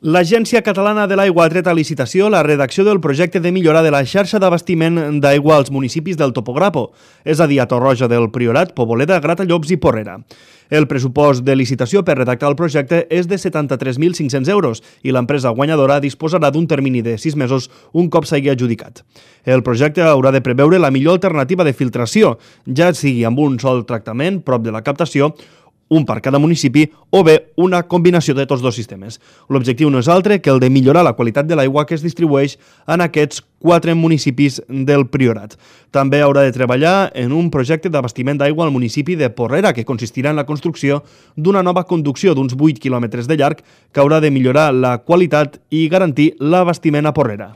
L'Agència Catalana de l'Aigua ha tret a licitació la redacció del projecte de millora de la xarxa d'abastiment d'aigua als municipis del Topograpo, és a dir, a Torroja del Priorat, Poboleda, Gratallops i Porrera. El pressupost de licitació per redactar el projecte és de 73.500 euros i l'empresa guanyadora disposarà d'un termini de 6 mesos un cop s'hagi adjudicat. El projecte haurà de preveure la millor alternativa de filtració, ja sigui amb un sol tractament prop de la captació, un per cada municipi o bé una combinació de tots dos sistemes. L'objectiu no és altre que el de millorar la qualitat de l'aigua que es distribueix en aquests 4 municipis del Priorat. També haurà de treballar en un projecte d'abastiment d'aigua al municipi de Porrera, que consistirà en la construcció d'una nova conducció d'uns 8 quilòmetres de llarg que haurà de millorar la qualitat i garantir l'abastiment a Porrera.